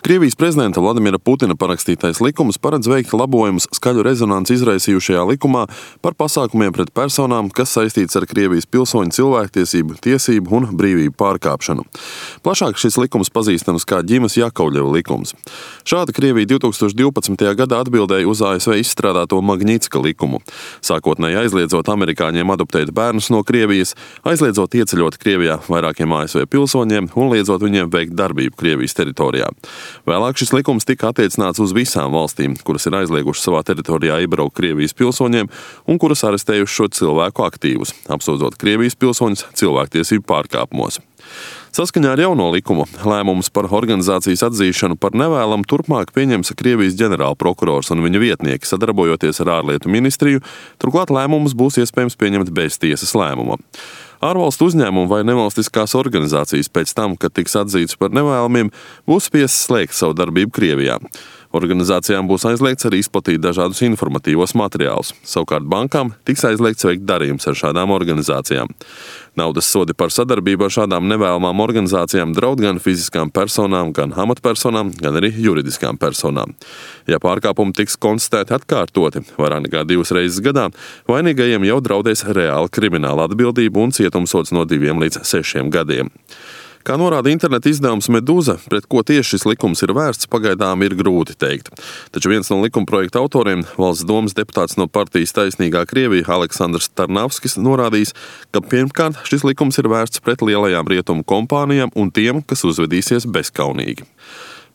Krievijas prezidenta Vladimira Putina parakstītais likums paredz veikt labojumus skaļu rezonanci izraisījušajā likumā par pasākumiem pret personām, kas saistīts ar Krievijas pilsoņu cilvēktiesību, tiesību un brīvību pārkāpšanu. Plašāk šis likums pazīstams kā Ģimas Jakovļeva likums. Šādi Krievija 2012. gadā atbildēja uz ASV izstrādāto Magnitska likumu, sākotnēji aizliedzot amerikāņiem adoptēt bērnus no Krievijas, aizliedzot ieceļot Krievijā vairākiem ASV pilsoņiem un liedzot viņiem veikt darbību Krievijas teritorijā. Vēlāk šis likums tika attiecināts uz visām valstīm, kuras ir aizliegušas savā teritorijā iebraukt Krievijas pilsoņiem un kuras arestējuši šo cilvēku aktīvus, apsūdzot Krievijas pilsoņus cilvēktiesību pārkāpumos. Saskaņā ar jauno likumu lēmumus par organizācijas atzīšanu par nevēlamu turpmāk pieņems Krievijas ģenerālprokurors un viņa vietnieki, sadarbojoties ar ārlietu ministriju, turklāt lēmumus būs iespējams pieņemt bez tiesas lēmuma. Ārvalstu uzņēmumu vai nevalstiskās organizācijas pēc tam, kad tiks atzīts par nevēlamiem, būs spiestas slēgt savu darbību Krievijā. Organizācijām būs aizliegts arī izplatīt dažādus informatīvos materiālus. Savukārt bankām tiks aizliegts veikt darījumus ar šādām organizācijām. Naudas sodi par sadarbību ar šādām nevēlamām organizācijām draud gan fiziskām personām, gan amatpersonām, gan arī juridiskām personām. Ja pārkāpumi tiks konstatēti atkārtoti, vairāk nekā 2 reizes gadā, vainīgajiem jau draudēs reāla krimināla atbildība un cietumsods no 2 līdz 6 gadiem. Kā norāda interneta izdevums Meduza, pret ko tieši šis likums ir vērsts, pagaidām ir grūti teikt. Taču viens no likumprojekta autoriem, Valsts domas deputāts no partijas Taisnīgā Krievija Aleksandrs Tarnavskis, norādījis, ka pirmkārt šis likums ir vērsts pret lielajām rietumu kompānijām un tiem, kas uzvedīsies bezkaunīgi.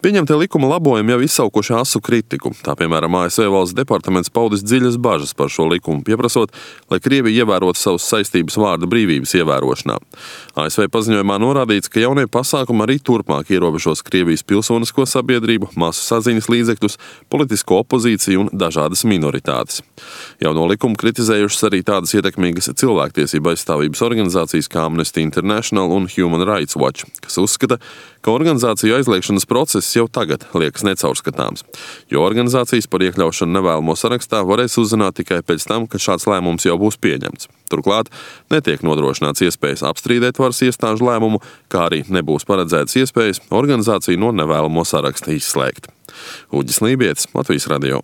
Pieņemtie likuma labojumi jau izsaukuši asu kritiku. Tā, piemēram, ASV valsts departaments paudis dziļas bažas par šo likumu, pieprasot, lai Krievija ievērotu savas saistības vārda brīvības ievērošanā. ASV paziņojumā norādīts, ka jaunie pasākumi arī turpmāk ierobežos Krievijas pilsonisko sabiedrību, masu saziņas līdzekļus, politisko opozīciju un dažādas minoritātes. Jauno likumu kritizējušas arī tādas ietekmīgas cilvēktiesību aizstāvības organizācijas kā Amnesty International un Human Rights Watch, kas uzskata, ka organizāciju aizliegšanas process jau tagad liekas necaurskatāms, jo organizācijas par iekļaušanu nevēlamo sarakstā varēs uzzināt tikai pēc tam, kad šāds lēmums jau būs pieņemts. Turklāt netiek nodrošināts iespējas apstrīdēt varas iestāžu lēmumu, kā arī nebūs paredzētas iespējas organizāciju no nevēlamo saraksta izslēgt. Uģis Lībietis, Latvijas radio.